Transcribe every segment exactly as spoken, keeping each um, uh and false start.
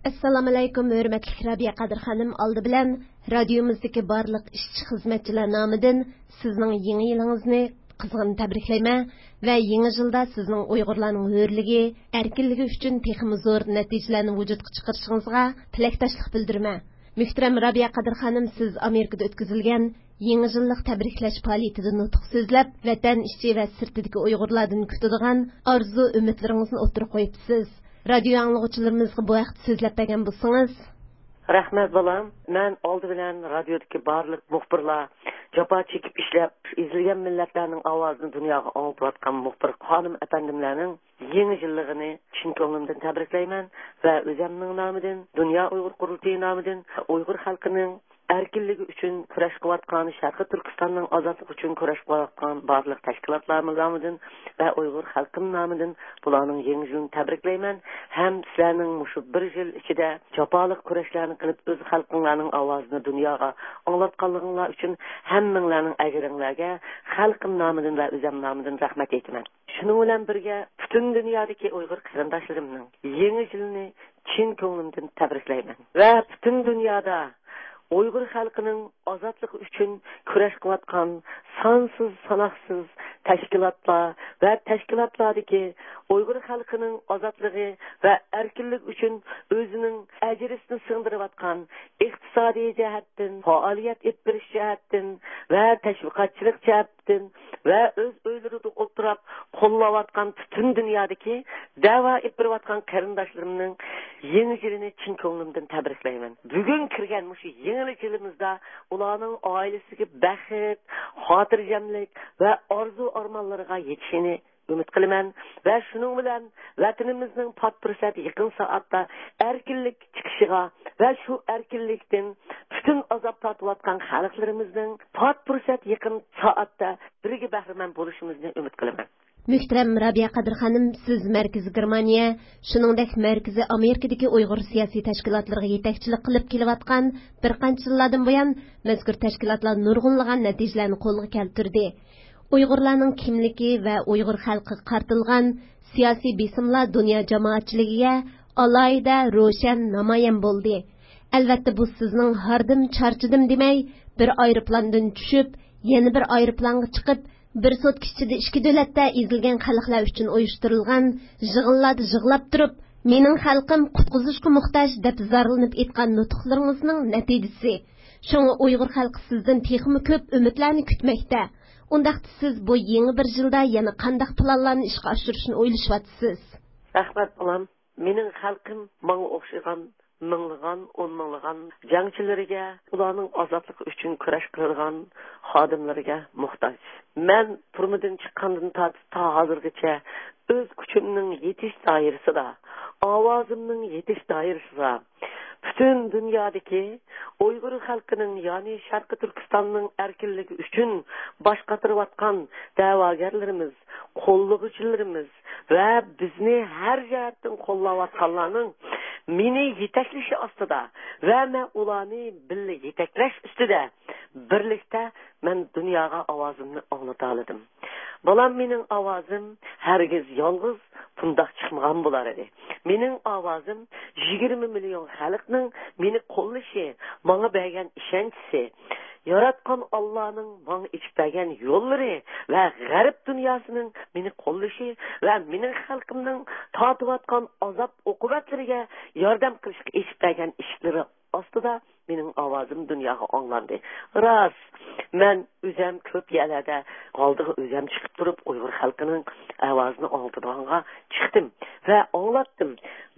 ئەسسالامۇئەلەيكۇم، ھۆرمەتلىك رابىيە قادىر خانىم. ئالدى بىلەن رادىيومىزدىكى بارلىق ئىشچى-خىزمەتچىلەر نامىدىن سىزنىڭ يېڭى يىلىڭىزنى قىزغىن تەبرىكلەيمەن ۋە يېڭى يىلدا سىزنىڭ ئۇيغۇرلارنىڭ ھۆرلۈكى، ئەركىنلىكى ئۈچۈن تېخىمۇ زور نەتىجىلەرنى ۋۇجۇدقا چىقىرىشىڭىزغا تىلەكداشلىق بىلدۈرىمەن. مۆھتەرەم رابىيە قادىر خانىم، سىز ئامېرىكىدا ئۆتكۈزۈلگەن يېڭى يىللىق تەبرىكلەش پائالىيىتىدە نۇتۇق سۆزلەپ، ۋەتەن ئىچى ۋە سىرتىدىكى ئۇيغۇرلاردىن كۈتىدىغان ئارزۇ-ئۈمىدلىرىڭىزنى ئوتتۇرىغا قويۇپسىز. رادىيو ئاڭلىغۇچىلىرىمىزغا بۇ ھەقتە سۆزلەپ بەرگەن بولسىڭىز. رەھمەت، بالام. مەن ئالدى بىلەن رادىيودىكى بارلىق مۇخبىرلار، جاپا چېكىپ ئىشلەپ، ئېزىلگەن مىللەتلەرنىڭ ئاۋازىنى دۇنياغا ئاڭلىتىۋاتقان مۇخبىر خانىم ئەپەندىملەرنىڭ يېڭى يىللىقىنى چىن كۆڭلۈمدىن تەبرىكلەيمەن ۋە ئۆزەمنىڭ نامىدىن، دۇنيا ئۇيغۇر قۇرۇلتىيى نامىدىن، ئۇيغۇر خەلقىنىڭ ئەركىنلىكى ئۈچۈن كۈرەش قىلىۋاتقان، شەرقىي تۈركىستاننىڭ ئازادلىقى ئۈچۈن كۈرەش قىلىۋاتقان بارلىق تەشكىلاتلار نامىدىن ۋە ئۇيغۇر خەلقىم نامىدىن بۇلارنىڭ يېڭى يىلىنى تەبرىكلەيمەن ھەم سىلەرنىڭ مۇشۇ بىر يىل ئىچىدە جاپالىق كۈرەشلەرنى قىلىپ، ئۆز خەلقىڭلارنىڭ ئاۋازىنى دۇنياغا ئاڭلاتقانلىقىڭلار ئۈچۈن ھەممىڭلارنىڭ ئەجرىڭلارگە خەلقىم نامىدىن ۋە ئۆزەم نامىدىن رەھمەت ئېيتىمەن. شۇنىڭ بىلەن بىرگە، پۈتۈن دۇنيادىكى ئۇيغۇر قېرىنداشلىرىمنىڭ يېڭى يىلىنى چىن كۆڭلۈمدىن تەبرىكلەيمەن ۋە پۈتۈن دۇنيادا ئۇيغۇر خەلقىنىڭ ئازادلىقى ئۈچۈن كۈرەش قىلىۋاتقان سانسىز ساناقسىز تەشكىلاتلار ۋە تەشكىلاتلاردىكى ئۇيغۇر خەلقىنىڭ ئازادلىقى ۋە ئەركىنلىكى ئۈچۈن ئۆزىنىڭ ئەجرىسىنى سىڭدۈرۈۋاتقان، ئىقتىسادىي جەھەتتىن، پائالىيەت ئېلىپ بېرىش جەھەتتىن ۋە تەشۋىقاتچىلىق جەھەتتىن ۋە ئۆز ئۆيلىرىدە ئولتۇراپ قوللاۋاتقان پۈتۈن دۇنيادىكى دەۋا ئېلىپ بېرىۋاتقان قېرىنداشلىرىمنىڭ يېڭى يىلىنى چىن كۆڭلۈمدىن تەبرىكلەيمەن. بۈگۈن كىرگەن مۇشۇ يېڭى يىلىمىزدا ئۇلارنىڭ ئائىلىسىگە بەخت، خاتىرجەملىك ۋە ئارزۇ-ئارمانلىرىغا يېتىشىنى ئۈمىد قىلىمەن ۋە شۇنىڭ بىلەن ۋەتىنىمىزنىڭ پات پۇرسەت يېقىن سائەتتە ئەركىنلىك چىقىشىغا ۋە شۇ ئەركىنلىكتىن پۈتۈن ئازاب تارتىۋاتقان خەلقلىرىمىزنىڭ پات پۇرسەت يېقىن سائەتتە بىرگە بەھرىمەن بولۇشىمىزنى ئۈمىد قىلىمەن. مۆھتەرەم رابىيە قادىر خانىم، سىز مەركىزىي گېرمانىيە، شۇنىڭدەك مەركىزىي ئامېرىكىدىكى ئۇيغۇر سىياسىي تەشكىلاتلىرىغا يېتەكچىلىك قىلىپ كېلىۋاتقان، بىر قانچە يىللاردىن بۇيان مەزكۇر تەشكىلاتلار نۇرغۇنلىغان نەتىجىلەرنى قولغا كەلتۈردى. ئۇيغۇرلارنىڭ كىملىكى ۋە ئۇيغۇر خەلقىگە قارىتىلغان سىياسىي بېسىملار دۇنيا جامائەتچىلىكىگە ئالاھىدە روشەن نامايان بولدى. ئەلۋەتتە، بۇ سىزنىڭ ھاردىم، چارچىدىم دېمەي، بىر ئايروپىلاندىن چۈشۈپ، يەنە بىر ئايروپىلانغا چىقىپ، بىر سوتكا ئىچىدە ئىككى دۆلەتتە ئېزىلگەن خەلقلەر ئۈچۈن ئۇيۇشتۇرۇلغان يىغىنلاردا يىغلاپ تۇرۇپ، «مېنىڭ خەلقىم قۇتقۇزۇشقا موھتاج» دەپ زارلىنىپ ئېيتقان نۇتۇقلىرىڭىزنىڭ نەتىجىسى. شۇڭا ئۇيغۇر خەلقى سىزدىن تېخىمۇ كۆپ ئۈمىدلەرنى كۈتمەكتە. ئۇنداقتا سىز بۇ يېڭى بىر يىلدا يەنە قانداق پىلانلارنى ئىشقا ئاشۇرۇشنى ئويلىشىۋاتىسىز؟ رەھمەت، بالام. مېنىڭ خەلقىم ماڭا ئوخشىغان مىڭلىغان، ئون مىڭلىغان جەڭچىلىرىگە، ئۇلارنىڭ ئازادلىقى ئۈچۈن كۈرەش قىلىدىغان خادىملىرىگە موھتاج. مەن تۈرمىدىن چىققاندىن تارتىپ تا ھازىرغىچە ئۆز كۈچۈمنىڭ يېتىش دائىرىسىدا، ئاۋازىمنىڭ يېتىش دائىرىسىدا پۈتۈن دۇنيادىكى ئۇيغۇر خەلقىنىڭ، يەنى شەرقىي تۈركىستاننىڭ ئەركىنلىكى ئۈچۈن باش قاتۇرۇۋاتقان دەۋاگەرلىرىمىز، قوللىغۇچىلىرىمىز ۋە بىزنى ھەر جەھەتتىن قوللاۋاتقانلارنىڭ مېنى يېتەكلىشى ئاستىدا ۋە مەن ئۇلارنى بىللە يېتەكلەش ئۈستىدە بىرلىكتە مەن دۇنياغا ئاۋازىمنى ئاڭلىتالىدىم. بالام، مېنىڭ ئاۋازىم ھەرگىز يالغۇز بۇنداق چىقمىغان بولار ئىدى. مېنىڭ ئاۋازىم يىگىرمە مىليون خەلقنىڭ مېنى قوللىشى، ماڭا بەرگەن ئىشەنچىسى، ياراتقان ئاللانىڭ ماڭا ئېچىپ بەرگەن يوللىرى ۋە غەرب دۇنياسىنىڭ مېنى قوللىشى ۋە مېنىڭ خەلقىمنىڭ تارتىۋاتقان ئازاب ئوقۇبەتلىرىگە ياردەم قىلىشقا ئېچىپ بەرگەن ئىشىكلىرى ئاستىدا مېنىڭ ئاۋازىم دۇنياغا ئاڭلاندى. راست، مەن ئۆزەم كۆپ يەرلەردە ئالدىغا ئۆزەم چىقىپ تۇرۇپ، ئۇيغۇر خەلقىنىڭ ئاۋازىنى ئاڭلىتىدىغانغا چىقتىم ۋە ئاڭلاتتىم.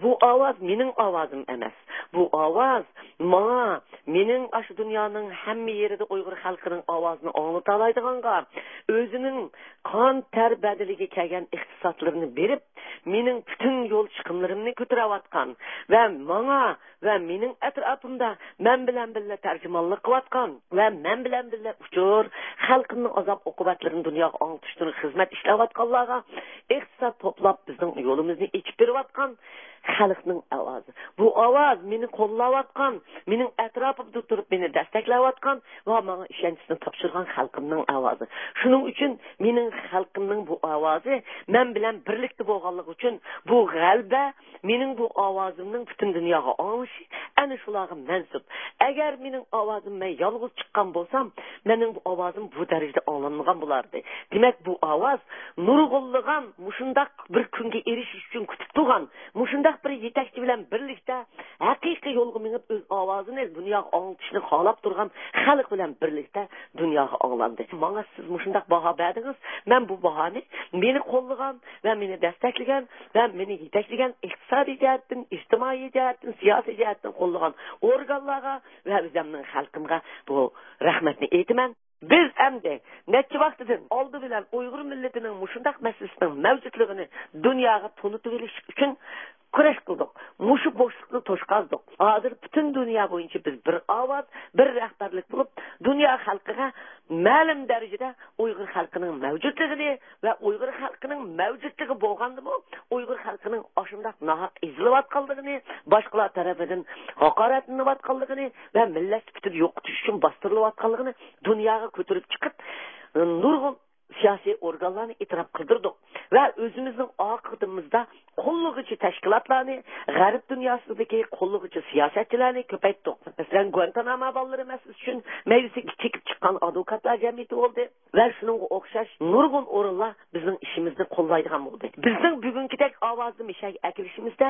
بۇ ئاۋاز مېنىڭ ئاۋازىم ئەمەس. بۇ ئاۋاز ماڭا، مېنىڭ ئاشۇ دۇنيانىڭ ھەممە يېرىدە ئۇيغۇر خەلقىنىڭ ئاۋازىنى ئاڭلىتالايدىغانغا، ئۆزىنىڭ قان تەر بەدىلىگە كەلگەن ئىقتىسادلىرىنى بېرىپ، مېنىڭ پۈتۈن يول چىقىملىرىمنى كۆتۈرۈۋاتقان ۋە ماڭا ۋە مېنىڭ ئەتراپىمدا مەن بىلەن بىللە تەرجىمانلىق قىلىۋاتقان ۋە مەن بىلەن بىللە ئۇچۇر، خەلقىمنىڭ ئازاب ئوقۇبەتلىرىنى دۇنياغا ئاڭلىتىشتىن خىزمەت ئىشلەۋاتقانلارغا ئىقتىساد توپلاپ، بىزنىڭ يولىمىزنى ئېچىپ بېرىۋاتقان خەلقنىڭ ئاۋازى. بۇ ئاۋاز مېنى قوللاۋاتقان، مېنىڭ ئەتراپىمدا تۇرۇپ مېنى دەستەكلەۋاتقان ۋە ماڭا ئىشەنچىسىنى تاپشۇرغان خەلقىمنىڭ ئاۋازى. شۇنىڭ ئۈچۈن مېنىڭ خەلقىمنىڭ بۇ ئاۋازى مەن بىلەن بىرلىكتە بولغانلىقى ئۈچۈن بۇ غەلىبە، مېنىڭ بۇ ئاۋازىمنىڭ پۈتۈن دۇنياغا ئاڭلىشى ئەنە شۇلارغا مەنسۇپ. ئەگەر مېنىڭ ئاۋازىم مەن يالغۇز چىققان بولسام، مېنىڭ بۇ ئاۋازىم بۇ دەرىجىدە ئاڭلانمىغان بولاتتى. دېمەك، بۇ ئاۋاز نۇرغۇنلىغان مۇشۇنداق بىر كۈنگە ئېرىشىش ئۈچۈن كۈتۈپ تۇرغان، مۇشۇنداق بىر يېتەكچى بىلەن بىرلىكتە ھەقىقىي يولغا مېڭىپ، ئۆز ئاۋازىنى دۇنياغا ئاڭلىتىشنى خالاپ تۇرغان خەلق بىلەن بىرلىكتە دۇنياغا ئاڭلاندى. ماڭا سىز مۇشۇنداق باھا بەردىڭىز، مەن بۇ باھانى مېنى قوللىغان ۋە مېنى دەستەكلىگەن ۋە مېنى يېتەكلىگەن، ئىقتىسادىي جەھەتتىن، ئىجتىمائىي جەھەتتىن، سىياسىي جەھەتتىن قوللىغان ئورگانلارغا ۋە ئۆزۈمنىڭ خەلقىمگە بۇ رەھمەتنى ئېيتىمەن. بىز ئەمدى نەچچە ۋاقتىدىن ئالدى بىلەن ئۇيغۇر مىللىتىنىڭ مۇشۇنداق مەسىلىسىنىڭ مەۋجۇتلۇقىنى دۇنياغا تونۇتۇۋېلىش ئۈچۈن كۈرەش قىلدۇق. مۇشۇ بوشلۇقنى توشقۇزدۇق. ھازىر پۈتۈن دۇنيا بويىچە بىز بىر ئاۋاز، بىر رەھبەرلىك بولۇپ، دۇنيا خەلقىگە مەلۇم دەرىجىدە ئۇيغۇر خەلقىنىڭ مەۋجۇتلۇقىنى ۋە ئۇيغۇر خەلقىنىڭ مەۋجۇتلۇقى بولغاندىمۇ، ئۇيغۇر خەلقىنىڭ ئاشۇنداق ناھەق ئېزىلىۋاتقانلىقىنى، باشقىلار تەرىپىدىن ھاقارەتلىنىۋاتقانلىقىنى ۋە مىللەت سۈپىتىدە يوقىتىش ئۈچۈن باستۇرۇلۇۋاتقانلىقىنى دۇنياغا كۆتۈرۈپ چىقىپ، نۇرغۇن سىياسىي ئورگانلارنى ئېتىراپ قىلدۇردۇق ۋە ئۆزىمىزنىڭ ئارقىدىمىزدا قوللىغۇچى تەشكىلاتلارنى غەرب دۇنياسىدىكى قوللىغۇچى سىياسەتچىلەرنى كۆپەيتتۇق. مەسىلەن، گۇانتانامو بالىلىرى مەسىلىسى ئۈچۈن مەيدىسىگە چېكىپ چىققان ئادۋوكاتلار جەمئىيىتى بولدى ۋە شۇنىڭغا ئوخشاش نۇرغۇن ئورۇنلار بىزنىڭ ئىشىمىزنى قوللايدىغان بولدى. بىزنىڭ بۈگۈنكىدەك ئاۋازنى مىشەگە ئەكىرىشىمىزدە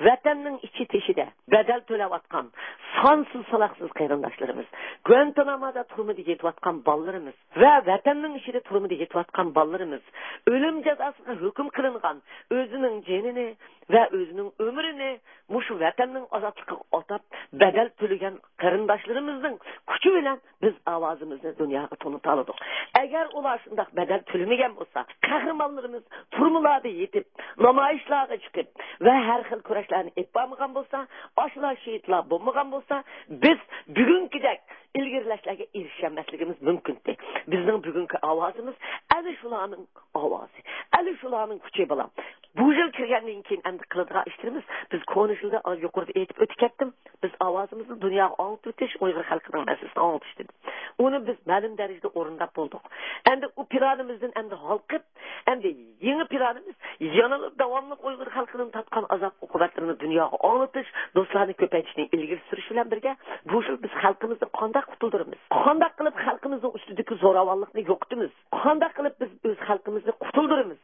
ۋەتەننىڭ ئىچى تېشىدا بەدەل تۆلەۋاتقان سانسىز ساناقسىز قېرىنداشلىرىمىز، گۇانتانامودا تۈرمىدە يېتىۋاتقان بالىلىرىمىز، ۋە ۋەتەننىڭ ئىچىدە تۈرمىدە يېتىۋاتقان بالىلىرىمىز، ئۆلۈم جازاسىغا ھۆكۈم قىلىنغان، ئۆزىنىڭ جېنىنى ۋە ئۆزىنىڭ ئۆمرىنى مۇشۇ ۋەتەننىڭ ئازادلىقىغا ئاتاپ بەدەل تۆلىگەن قېرىنداشلىرىمىزنىڭ كۈچى بىلەن بىز ئاۋازىمىزنى دۇنياغا تونۇتالىدۇق. ئەگەر ئۇلار شۇنداق بەدەل تۆلىمىگەن بولسا، قەھرىمانلىرىمىز تۈرمىلەردە يېتىپ، نامايىشلارغا چىقىپ ۋە ھەر خىل كۈرەشلەرنى ئېلىپ بارمىغان بولسا، ئاشۇلار شېھىتلار بولمىغان بولسا، بىز بۈگۈنكىدەك ئىلگىرىلەشلەرگە ئېرىشەلمەسلىكىمىز مۇمكىنتى. بىزنىڭ بۈگۈنكى ئاۋازىمىز ئەنە شۇلارنىڭ ئاۋازى، ئەنە شۇلارنىڭ كۈچى، بالام. بۇ يىل كىرگەندىن كېيىن ئەمدى قىلىدىغان ئىشلىرىمىز، بىز كونا يىلدا، يۇقىرىدا ئېيتىپ ئۆتۈپ كەتتىم، بىز ئاۋازىمىزنى دۇنياغا ئاڭلىتىۋېتىش، ئۇيغۇر خەلقىنىڭ مەسىلىسىنى ئاڭلىتىش دېدى. ئۇنى بىز مەلۇم دەرىجىدە ئورۇنداپ بولدۇق. ئەمدى ئۇ پىلانىمىزدىن ئەمدى ھالقىپ، ئەمدى يېڭى پىلانىمىز يەنىلا داۋاملىق ئۇيغۇر خەلقىنىڭ تارتقان ئازاب-ئوقۇبەتلىرىنى دۇنياغا ئاڭلىتىش، دوستلارنى كۆپەيتىشنى ئىلگىرى سۈرۈش بىلەن بىرگە، بۇ يىل بىز خەلقىمىزنى قانداق قۇتۇلدۇرىمىز؟ قانداق قىلىپ خەلقىمىزنىڭ ئۈستىدىكى زوراۋانلىقنى يوقىتىمىز؟ قانداق قىلىپ بىز ئۆز خەلقىمىزنى قۇتۇلدۇرىمىز؟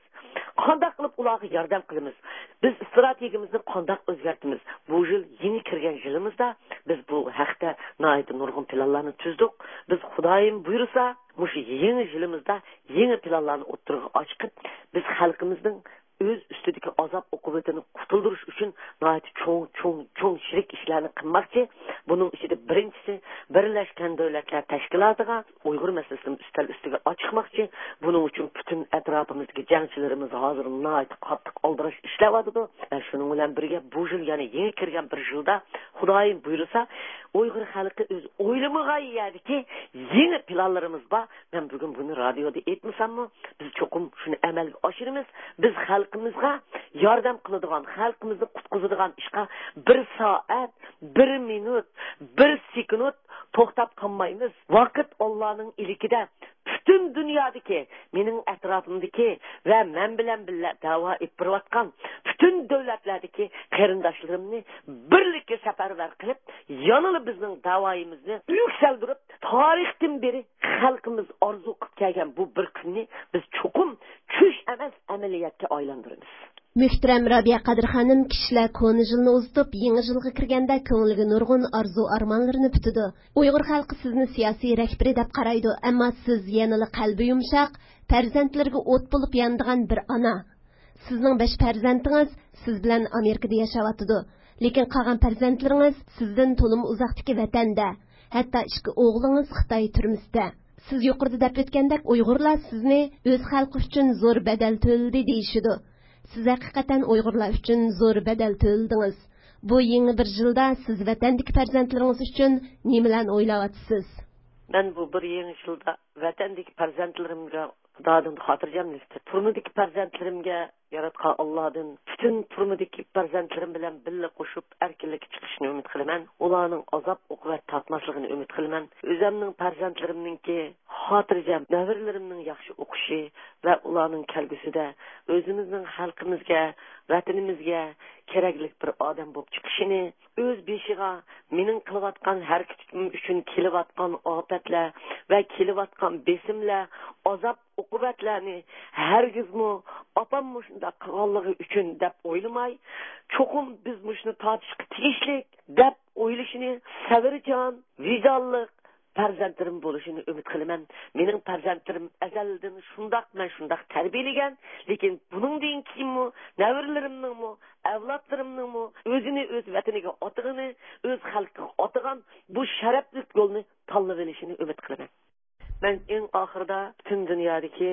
قانداق قىلىپ ئۇلارغا ياردەم قىلىمىز؟ بىز ئىستراتېگىيەمىزنى قانداق ئۆزگەرتىمىز؟ بۇ يىل يېڭى كىرگەن يىلىمىزدا بىز بۇ ھەقتە ناھايىتى نۇرغۇن پىلانلارنى تۈزدۇق. بىز خۇدايىم بۇيرۇسا، مۇشۇ يېڭى يىلىمىزدا يېڭى پىلانلارنى ئوتتۇرىغا چىقىپ، بىز خەلقىمىزنىڭ ئۆز ئۈستىدىكى ئازاب-ئوقۇبىتىنى قۇتۇلدۇرۇش ئۈچۈن ناھايىتى چوڭ، چوڭ، چوڭ چىرىك ئىشلارنى قىلماقچى. بۇنىڭ ئىچىدە بىرىنچىسى، بىرلەشكەن دۆلەتلەر تەشكىلاتىغا ئۇيغۇر مەسىلىسىنى ئۈستەل ئۈستىگە ئاچىقماقچى. بۇنىڭ ئۈچۈن پۈتۈن ئەتراپىمىزدىكى جەڭچىلىرىمىز ھازىر ناھايىتى قاتتىق ئالدىراش ئىشلەۋاتىدۇ. ۋە شۇنىڭ بىلەن بىرگە، بۇ يىل يەنە يېڭى كىرگەن بىر يىلدا، خۇدايىم بۇيرۇسا، ئۇيغۇر خەلقى ئۆزى ئويلىمىغان يەردىكى يېڭى پىلانلىرىمىز بار. مەن بۈگۈن بۇنى رادىيودا ئېيتمىساممۇ، بىز چوقۇم شۇنى ئەمەلگە ئاشۇرىمىز. بىز خەلقىمىزغا ياردەم قىلىدىغان، خەلقىمىزنى قۇتقۇزىدىغان ئىشقا بىر سائەت، بىر مىنۇت، بىر سېكۇنت توختاپ قالمايمىز. ۋاقىت ئاللانىڭ ئىلكىدە. پۈتۈن دۇنيادىكى، مېنىڭ ئەتراپىمدىكى ۋە مەن بىلەن بىللە دەۋا ئېلىپ بېرىۋاتقان پۈتۈن دۆلەتلەردىكى قېرىنداشلىرىمنى بىرلىككە سەپەرۋەر قىلىپ، يەنىلا بىزنىڭ داۋايىمىزنى يۈكسەلدۈرۈپ، تارىختىن بېرى خەلقىمىز ئارزۇ قىلىپ كەلگەن بۇ بىر كۈننى بىز چوقۇم چۈش ئەمەس، ئەمەلىيەتكە ئايلاندۇرىمىز. مۆھتەرەم رابىيە قادىر خانىم، كىشىلەر كونا يىلنى ئۇزىتىپ، يېڭى يىلغا كىرگەندە كۆڭلىگە نۇرغۇن ئارزۇ-ئارمانلىرىنى پۈتىدۇ. ئۇيغۇر خەلقى سىزنى سىياسىي رەھبىرى دەپ قارايدۇ، ئەمما سىز يەنىلا قەلبى يۇمشاق، پەرزەنتلىرىگە ئوت بولۇپ يانىدىغان بىر ئانا. سىزنىڭ بەش پەرزەنتىڭىز سىز بىلەن ئامېرىكىدا ياشاۋاتىدۇ. لېكىن قالغان پەرزەنتلىرىڭىز سىزدىن تولىمۇ ئۇزاقتىكى ۋەتەندە. ھەتتا ئىككى ئوغلىڭىز خىتاي تۈرمىسىدە. سىز يۇقىرىدا دەپ ئۆتكەندەك، ئۇيغۇرلار سىزنى ئۆز خەلقى ئۈچۈن زور بەدەل تۆلىدى دېيىشىدۇ. سىز ھەقىقەتەن ئۇيغۇرلار ئۈچۈن زور بەدەل تۆلىدىڭىز. بۇ يېڭى بىر يىلدا سىز ۋەتەندىكى پەرزەنتلىرىڭىز ئۈچۈن نېمىلەرنى ئويلاۋاتىسىز؟ مەن بۇ بىر يېڭى يىلدا ۋەتەندىكى پەرزەنتلىرىمگە خۇدادىن خاتىرجەملىكتە، تۈرمىدىكى پەرزەنتلىرىمگە ياراتقان ئاللادىن پۈتۈن تۈرمىدىكى پەرزەنتلىرىم بىلەن بىللە قوشۇپ ئەركىنلىككە چىقىشىنى ئۈمىد قىلىمەن. ئۇلارنىڭ ئازاب ئوقۇبەت تارتماسلىقىنى ئۈمىد قىلىمەن. ئۆزەمنىڭ پەرزەنتلىرىمنىڭكى خاتىرجەم، نەۋرىلىرىمنىڭ ياخشى ئوقۇشى ۋە ئۇلارنىڭ كەلگۈسىدە ئۆزىمىزنىڭ خەلقىمىزگە، ۋەتىنىمىزگە كېرەكلىك بىر ئادەم بولۇپ چىقىشىنى، ئۆز بېشىغا مېنىڭ قىلىۋاتقان ھەرىكىتىم ئۈچۈن كېلىۋاتقان ئاپەتلەر ۋە كېلىۋاتقان بېسىملەر، ئازاب ئوقۇبەتلەرنى ھەرگىزمۇ ئاپام مۇشۇنداق قىلغانلىقى ئۈچۈن دەپ ئويلىماي، چوقۇم بىز مۇشۇنى تارتىشقا تېگىشلىك دەپ ئويلىشىنى سەۋرچان، ۋىجدانلىق پەرزەنتلىرىم بولۇشىنى ئۈمىد قىلىمەن. مېنىڭ پەرزەنتلىرىم ئەزەلدىن شۇنداق، مەن شۇنداق تەربىيەلىگەن. لېكىن بۇنىڭدىن كېيىنمۇ نەۋرىلىرىمنىڭمۇ، ئەۋلادلىرىمنىڭمۇ ئۆزىنى ئۆز ۋەتىنىگە ئاتىغىنى، ئۆز خەلقىگە ئاتىغان بۇ شەرەپلىك يولنى تاللىۋېلىشىنى ئۈمىد قىلىمەن. مەن ئەڭ ئاخىرىدا پۈتۈن دۇنيادىكى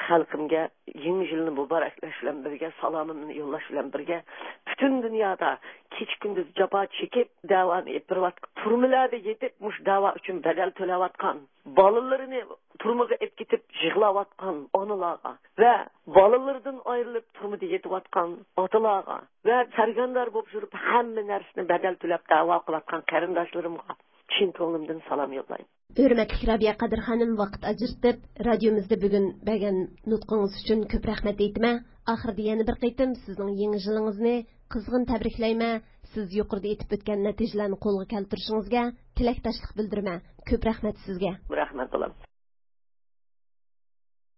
خەلقىمگە يېڭى يىلنى مۇبارەكلەش بىلەن بىرگە، سالامىمنى يوللاش بىلەن بىرگە، پۈتۈن دۇنيادا كېچە-كۈندۈز جاپا چېكىپ، دەۋانى ئېلىپ بېرىۋاتقان، تۈرمىلەردە يېتىپ، مۇشۇ دەۋا ئۈچۈن بەدەل تۆلەۋاتقان، بالىلىرىنى تۈرمىگە ئېلىپ كېتىپ يىغلاۋاتقان ئانىلارغا ۋە بالىلىرىدىن ئايرىلىپ تۈرمىدە يېتىۋاتقان ئاتىلارغا ۋە سەرگەردان بولۇپ يۈرۈپ ھەممە نەرسىنى بەدەل تۆلەپ دەۋا قىلىۋاتقان قېرىنداشلىرىمغا چىن كۆڭلۈمدىن سالام يوللايمەن. ھۆرمەتلىك رابىيە قادىر خانىم، ۋاقىت ئاجرىتىپ، رادىيومىزدا بۈگۈن بەرگەن نۇتقىڭىز ئۈچۈن كۆپ رەھمەت ئېيتىمەن. ئاخىرىدا يەنە بىر قېتىم سىزنىڭ يېڭى يىلىڭىزنى قىزغىن تەبرىكلەيمەن. سىز يۇقىرىدا ئېيتىپ ئۆتكەن نەتىجىلەرنى قولغا كەلتۈرۈشىڭىزگە تىلەكداشلىق بىلدۈرىمەن. كۆپ رەھمەت سىزگە. رەھمەت، بالام.